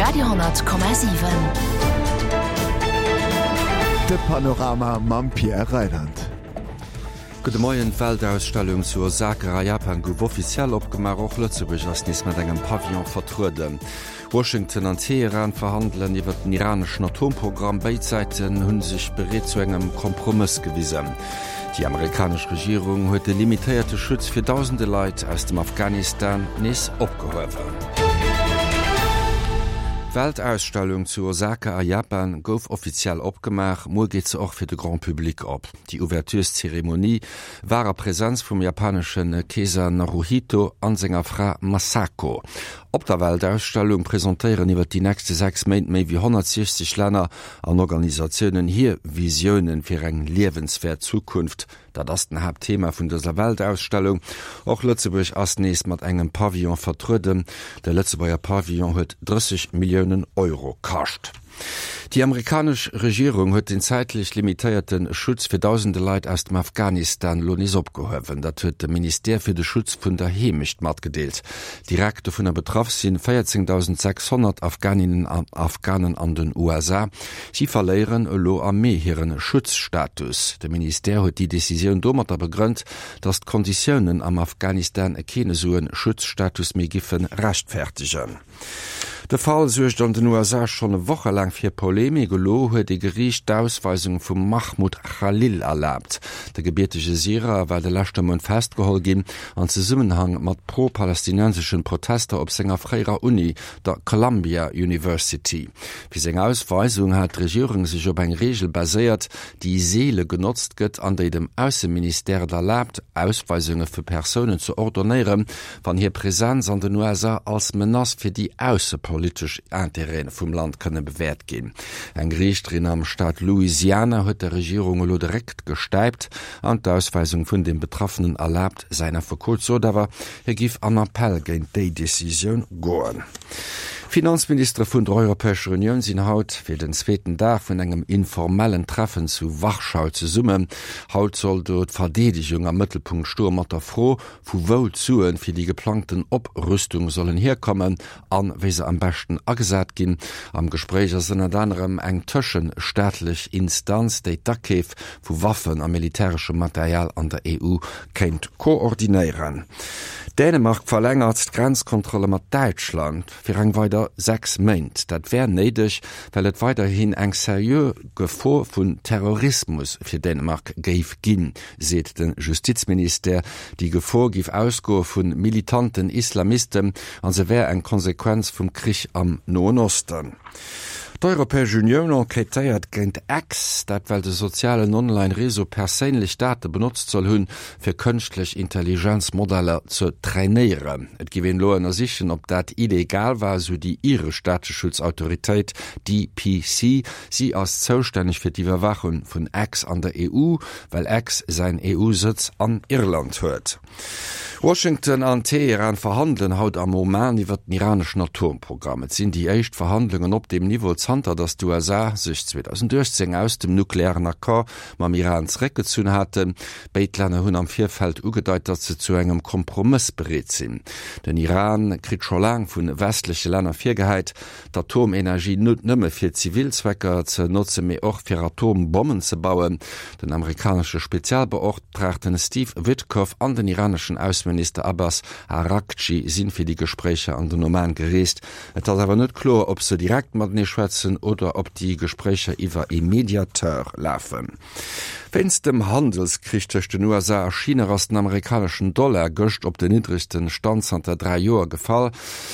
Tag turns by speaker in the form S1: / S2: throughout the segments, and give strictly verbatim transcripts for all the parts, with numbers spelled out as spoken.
S1: Radio siwen.
S2: De Panorama mam Pierre Reyland.
S3: Gudde Moien, D'Weltausstellung zu Osaka a Japan gouf offiziell opgemaach. Och Lëtzebuerg ass nees mat engem Pavillon vertrueden. Washington an Teheran verhandelen iwwer den iraneschen Atomprogramm. Béid Säiten hu sech bereet zu engem Kompromëss gewisen. Déi amerikanesch Regierung huet de limitéierte Schutz fir dausende Leit aus dem Afghanistan nees opgehuewen. D'Weltausstellung zu Osaka a Japan gouf offiziell opgemaach. Muer geet se och fir de Grand Public op. Déi Ouvertureszeremonie war a Presenz vum japanesche Keeser Naruhito an senger Fra Masako. Op der Weltausstellung presentéieren iwwer déi nächste sechs Méint méi wéi honnertsiechzeg Länner an Organisatiounen hir Visiounen fir eng liewenswäert Zukunft. Dat ass den Haaptthema vun dëser Weltausstellung. Och Lëtzebuerg ass nees mat engem Pavillon vertrueden. De Lëtzebuerger Pavillon huet drësseg Milliounen Euro kascht. Déi amerikanesch Regierung huet den zäitlech limitéierte Schutz fir dausende Leit aus dem Afghanistan elo nees opgehuewen. Dat huet de Ministère fir de Schutz vun der Heemecht matgedeelt. Direkt dovunner betraff si véierzéngtdausend sechshonnert Afghaninnen an Afghanen an den U S A. Si verléieren elo am Mee hire Schutzstatus. De Ministère huet déi Decisioun domatter begrënnt, datt d'Konditiounen am Afghanistan keen esou e Schutzstatus méi giffe rechtfertegen. De Fall suergt an den U S A schonn wochelaang fir Polemik. Elo huet e Geriicht d'Ausweisung vum Mahmoud Khalil erlaabt. De gebiertege Syrer war de leschte Mount festgeholl ginn an Zesummenhang mat pro-palästinenseschen Protester op senger fréierer Uni, der Columbia University. Fir seng Ausweisung hat d'Regierung sech op eng Reegel baséiert, déi seele genotzt gëtt an déi dem Ausseministère et erlaabt, Ausweisunge fir Persounen ze ordonéieren, wann hir Presenz an den U S A als Menace fir déi aussepolitesch Interêten vum Land kënne bewäert ginn. Eng Riichterin am Staat Louisiana huet der Regierung elo de Réck gestäipt an d'Ausweisung vun dem Betraffenen erlaabt. Säin Affekot sot awer, hie giff an Appell géint déi Decisioun goen. D'Finanzministere vun der Europäescher Unioun sinn haut fir den zweeten Dag vun engem informellen Treffen zu Warschau zesummen. Haut soll do d'Verdeedegung am Mëttelpunkt stoe mat der Fro, vu wou d'Sue fir déi geplangten Oprüstung sollen hierkommen an wéi se am beschten agesat ginn. Am Gespréich ass ënnert anerem eng tëschestaatlech Instanz, déi d'Akeef vu Waffen a militäreschem Material an der E U kéint koordinéieren. Dänemark verlängert d'Grenzkontrolle mat Däitschland fir eng weider sechs Méint. Dat wär néideg, well et weiderhin eng seriö Gefor vun Terrorismus fir Dänemark géif ginn, seet de Justizministère. Déi Gefor géif ausgoe vu militanten Islamisten an se wär eng Konsequenz vum Krich am Noen Osten. D'Europäesch Unioun enquêtéiert géint X, dat well de sozialen Online-Réseau perséinlech Date benotzt soll hunn, fir kënschtlech Intelligenz-Modeller ze trainéieren. Et géif een elo ënnersichen, ob dat illegal war, esou déi iresch Dateschutzautoritéit D P C. Si ass zoustänneg fir d'Iwwerwaachung vun X an der E U, well X säin E U-Sëtz an Irland huet. Washington an Teheran verhandelen haut am Oman iwwer den iraneschen Atomprogramm. Et sinn déi éischt Verhandlungen op deem Niveau zanter datt d'U S A sech zweedausendachtzéng aus dem nuklearen Accord mam Iran zeréckgezunn haten. Béid Länner hunn am Virfeld ugedeit, datt se zu engem Kompromëss bereet sinn. Den Iran kritt scho laang vu westleche Länner virgehäit, d'Atomenergie net nëmme fir zivil Zwecker ze notzen, mee och fir Atombommen ze bauen. Den amerikanesche Spezialbeoptraagten Steve Witkoff an den iraneschen Ausseminister Abbas Araghchi sinn fir déi Gespréicher an den Oman gereest. Et ass awer net kloer, ob se direkt matenee schwätzen oder ob déi Gespréicher iwwer e Mediateur lafen. Wéinst dem Handelskrich tëscht den U S A a China ass den amerikaneschen Dollar gëscht op den niddregste Stand zanter dräi Joer gefall.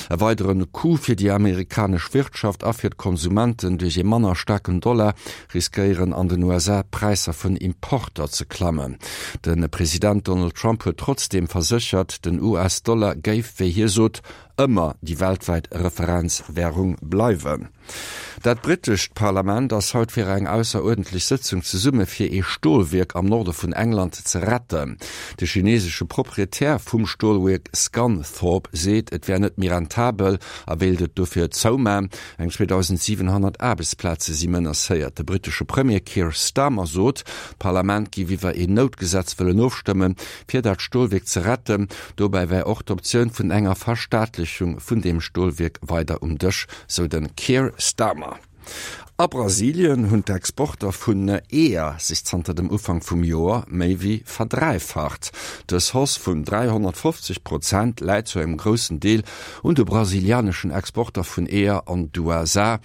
S3: E weideren Coup fir déi amerikanesch Wirtschaft a fir d'Konsumenten. Duerch e manner staarken Dollar riskéieren an den U S A d'Präisser vun Importer ze klammen. De President Donald Trump huet trotzdeem verséchert, den U S-Dollar géif, wéi hie sot, ëmmer déi weltwäit Referenzwärung bleiwen. Dat brittescht Parlament ass haut fir eng ausseruerdentlech Sëtzung zesumme fir ee Stolwierk am Norde vun England ze retten. De chinesesche Proprietär vum Stolwierk Scunthorpe seet, et wär net méi rentabel a wéilt et dofir zouman. Eng zweedausendsiwenhonnert Aarbechtsplaze si menacéiert. De brittesche Premier Keir Starmer sot, d'Parlament géif iwwer een Noutgesetz wëllen ofstëmmen, fir dat Stolwierk ze retten. Dobäi wär och d'Optioun vun enger Verstaatlechung Verëffentlechung vun deem Stolwierk weider um Dësch, sou de Keir Starmer. A Brasilien hunn d'Exporter vun Eeër sech zanter dem Ufank vum Joer méi wéi verdräifacht. Dës Hausse vun dräihonnertfofzeg Prozent läit zu engem groussen Deel un de brasilianeschen Exporter vun Eeër an d'USA,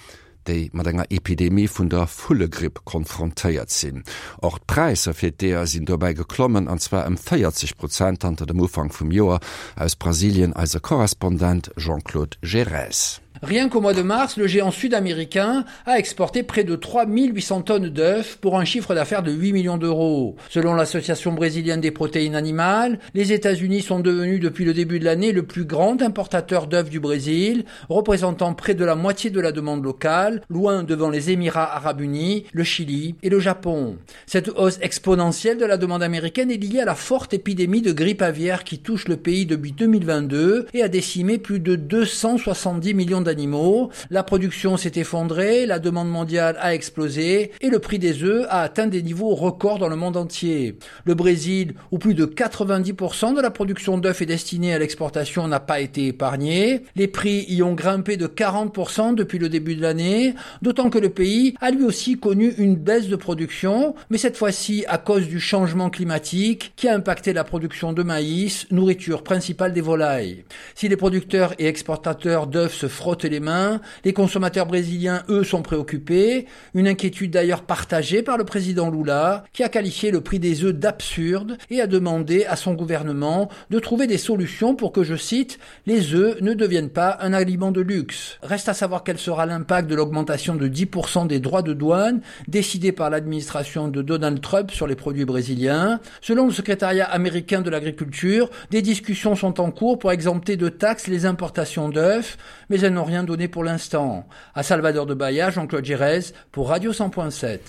S3: déi mat enger Epidemie vun der Vullegripp konfrontéiert sinn. Och d'Präisser fir d'Eeër sinn dobäi geklommen, an zwar ëm véierzeg Prozent zanter dem Ufank vum Joer. Aus Brasilien eise Korrespondent Jean-Claude Gerez.
S1: Rien qu'au mois de mars, le géant sud-américain a exporté près de trois mille huit cents tonnes d'œufs pour un chiffre d'affaires de huit millions d'euros. Selon l'Association brésilienne des protéines animales, les États-Unis sont devenus depuis le début de l'année le plus grand importateur d'œufs du Brésil, représentant près de la moitié de la demande locale, loin devant les Émirats arabes unis, le Chili et le Japon. Cette hausse exponentielle de la demande américaine est liée à la forte épidémie de grippe aviaire qui touche le pays depuis deux mille vingt-deux et a décimé plus de deux cent soixante-dix millions d'animaux. La production s'est effondrée, la demande mondiale a explosé et le prix des œufs a atteint des niveaux records dans le monde entier. Le Brésil, où plus de quatre-vingt-dix pour cent de la production d'œufs est destinée à l'exportation, n'a pas été épargné. Les prix y ont grimpé de quarante pour cent depuis le début de l'année, d'autant que le pays a lui aussi connu une baisse de production, mais cette fois-ci à cause du changement climatique qui a impacté la production de maïs, nourriture principale des volailles. Si les producteurs et exportateurs d'œufs se frottent les mains, les consommateurs brésiliens, eux, sont préoccupés. Une inquiétude d'ailleurs partagée par le président Lula, qui a qualifié le prix des œufs d'absurde et a demandé à son gouvernement de trouver des solutions pour que, je cite, les œufs ne deviennent pas un aliment de luxe. Reste à savoir quel sera l'impact de l'augmentation de dix pour cent des droits de douane décidée par l'administration de Donald Trump sur les produits brésiliens. Selon le secrétariat américain de l'agriculture, des discussions sont en cours pour exempter de taxes les importations d'œufs, mais elles n'ont rien donné pour l'instant. À Salvador de Bahia, Jean-Claude Girez pour Radio cent point sept.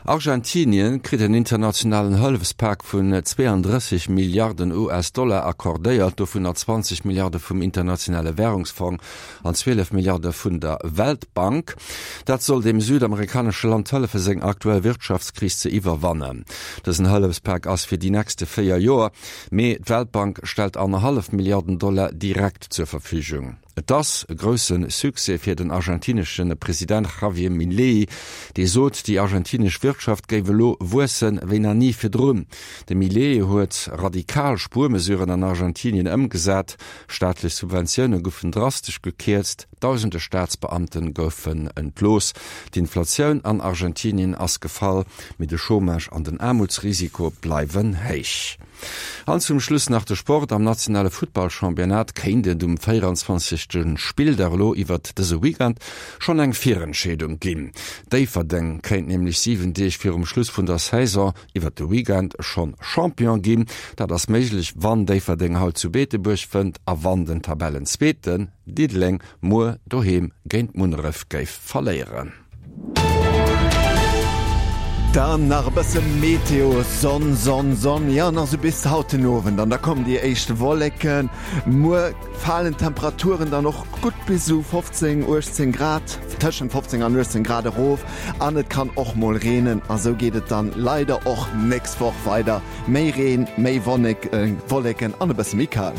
S3: Argentinien kritt en internationalen Hëllefspak vun zweiunddrësseg Milliarden U S-Dollar accordéiert, dovun zwanzeg Milliarde vum Internationale Währungsfonds an zwielef Milliarde vun der Weltbank. Dat soll dem südamerikanesche Land hëllefe seng aktuell Wirtschaftskris ze iwwerwannen. Dësen Hëllefspak ass fir déi nächste véier Joer, mee d'Weltbank stellt anderthalb Milliarden Dollar direkt zur Verfügung. Et ass e grousse Succès fir den argentineschen President Javier Milei, dee sot, déi argentinesch Wirtschaft géif elo wuessen wéi nach ni virdrun. De Milei huet radikal Spuermesuren an Argentinien ëmgesat, staatlech Subventioune goufen drastesch gekierzt, tausende Staatsbeamten goufen entlooss. D'Inflatioun an Argentinien ass gefall, mee de Chômage an den Aarmutsrisiko bleiwen héich. An zum Schluss nach de Sport am nationale Futtballchampionnat kéint et um véierundzwanzegste Spilldag elo iwwer dëse Weekend schonn eng Virentscheedung ginn. Déifferdeng kéint nämlech siwen Deeg virum Schluss vun der Saison iwwer de Weekend schonn Champion ginn. Dat ass méiglech, wann Déifferdeng haut zu Beetebuerg fënnt a wann den Tabellenzweeten Diddeleng muer doheem géint Munneref géif verléieren.
S2: Dann nach e bësse Meteo, Sonn, Sonn, Sonn, ja, nach so bis haut den Owend. An da kommen déi éischt Wolleken. Muer falen d'Temperaturen dann och gutt bis zu fofzéng, uechtzéng Grad, tëschent fofzéng an uechtzéng Grad erof. An et kann och mol reenen. A sou geet et dann leider och nächst Woch weider. Méi Reen, méi Wonnek, äh, Wolleken an e bësse méi kal.